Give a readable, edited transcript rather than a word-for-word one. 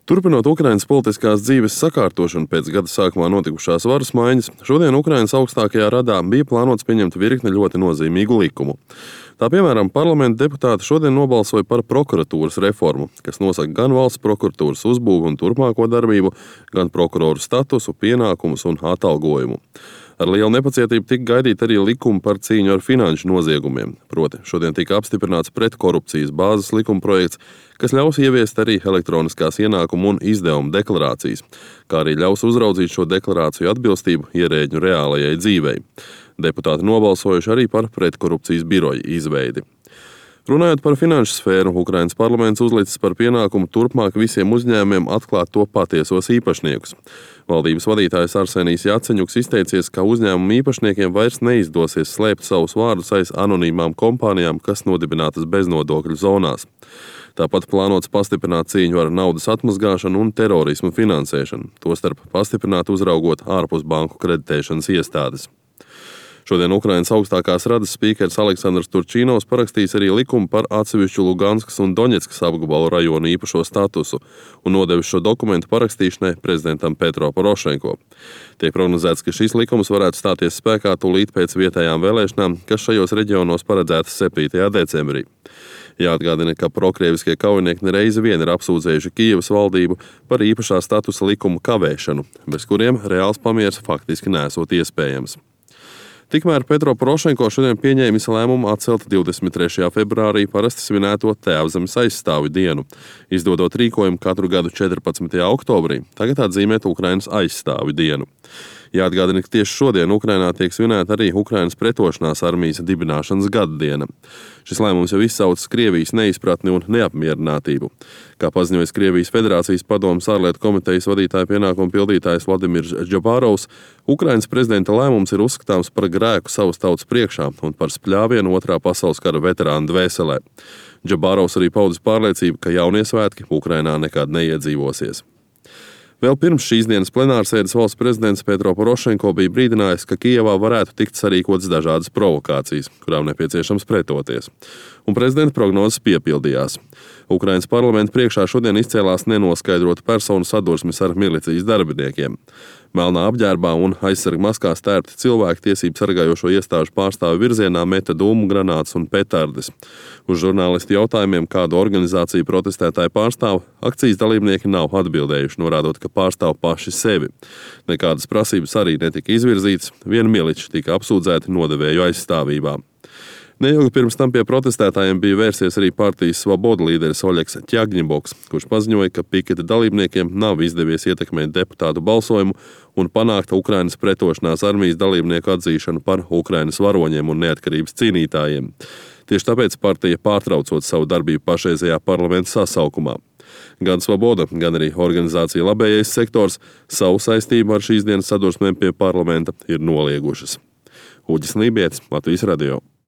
Turpinot Ukrainas politiskās dzīves sakārtošanu pēc gada sākumā notikušās varas maiņas, šodien Ukrainas augstākajā radā bija plānots pieņemt virkni ļoti nozīmīgu likumu. Tā piemēram, parlamenta deputāti šodien nobalsoja par prokuratūras reformu, kas nosaka gan valsts prokuratūras uzbūvi un turpmāko darbību, gan prokuroru statusu, pienākumus un atalgojumu. Ar lielu nepacietību tika gaidīt arī likumi par cīņu ar finanšu noziegumiem. Proti, šodien tika apstiprināts pretkorupcijas bāzes likumprojekts, kas ļaus ieviest arī elektroniskās ienākumu un izdevumu deklarācijas, kā arī ļaus uzraudzīt šo deklarāciju atbilstību ierēģu reālajai dzīvei. Deputāti nobalsojuši arī par pretkorupcijas biroja izveidi. Runājot par finanšu sfēru, Ukrainas parlaments uzlicis par pienākumu turpmāk visiem uzņēmumiem atklāt to patiesos īpašniekus. Valdības vadītājs Arsenijs Jaceņuks izteicies, ka uzņēmumu īpašniekiem vairs neizdosies slēpt savus vārdus aiz anonīmām kompānijām, kas nodibinātas beznodokļu zonās. Tāpat plānots pastiprināt cīņu ar naudas atmazgāšanu un terorismu finansēšanu, tostarp pastiprināt uzraugot ārpus banku kreditēšanas iestādes. Šodien Ukrainas augstākās radas spīkers Aleksandrs Turčīnovs parakstīs arī likumu par atsevišķu Luganskas un Doņetskas apgabalu rajonu īpašo statusu un nodevis šo dokumentu parakstīšanai prezidentam Petro Porošenko. Tiek prognozēts, ka šis likums varētu stāties spēkā tūlīt pēc vietējām vēlēšanām, kas šajos reģionos paredzētas 7. decembrī. Jāatgādina, ka prokrieviskie kaujinieki nereizi vien ir apsūdzējuši Kijevas valdību par īpašā statusa likumu kavēšanu, bez kuriem reāls pamiers faktiski nesot iespējams. Tikmēr Petro Porošenko šodien pieņēmis lēmumu atcelt 23. februārī parasti svinēto Tēvzemes aizstāvju dienu, izdodot rīkojumu katru gadu 14. oktobrī, tagad atzīmēt Ukrainas aizstāvju dienu. Jāatgādina, ka tieši šodien Ukrainā tiek svinēta arī Ukrainas pretošanās armijas dibināšanas gada diena. Šis lēmums jau izsaucis Krievijas neizpratni un neapmierinātību. Kā paziņoja Krievijas Federācijas padomes ārlietu komitejas vadītāja pienākumu pildītājs Vladimirs Džabārovs, Ukrainas prezidenta lēmums ir uzskatāms par grēku savas tautas priekšā un par spļāvienu Otrā pasaules kara veterānu dvēselē. Džabārovs arī paudis pārliecību, ka jaunie svētki Ukrainā nekad neiedzīvosies. Vēl pirms šīs dienas plenārsēdes valsts prezidents Petro Porošenko bija brīdinājis, ka Kijevā varētu tikt sarīkotas dažādas provokācijas, kurām nepieciešams pretoties. Un prezidenta prognozes piepildījās. Ukrainas parlamenta priekšā šodien izcēlās nenoskaidrota personu sadursmes ar milicijas darbiniekiem. Melnā apģērbā un aizsarga maskās tērpti cilvēki tiesību sargājošo iestāžu pārstāvju virzienā meta dūmu granātas un petardes. Uz žurnālistu jautājumiem, kādu organizāciju protestētāji pārstāv, akcijas dalībnieki nav atbildējuši, norādot, ka pārstāv paši sevi. Nekādas prasības arī netika izvirzītas, vien miliči tika apsūdzēti nodevēju aizstāvībā. Neilgi pirms tam pie protestētājiem bija vērsies arī partijas Svoboda līderis Oļegs Ķagņiboks, kurš paziņoja, ka piketa dalībniekiem nav izdevies ietekmēt deputātu balsojumu un panākt Ukrainas pretošanās armijas dalībnieku atzīšanu par Ukrainas varoņiem un neatkarības cīnītājiem. Tieši tāpēc partija pārtraucot savu darbību pašreizējā parlamenta sasaukumā. Gan Svoboda, gan arī organizācija Labējais sektors savu saistību ar šīs dienas sadursmēm pie parlamenta ir noliegušas. Uģis Lībietis, Latvijas radio.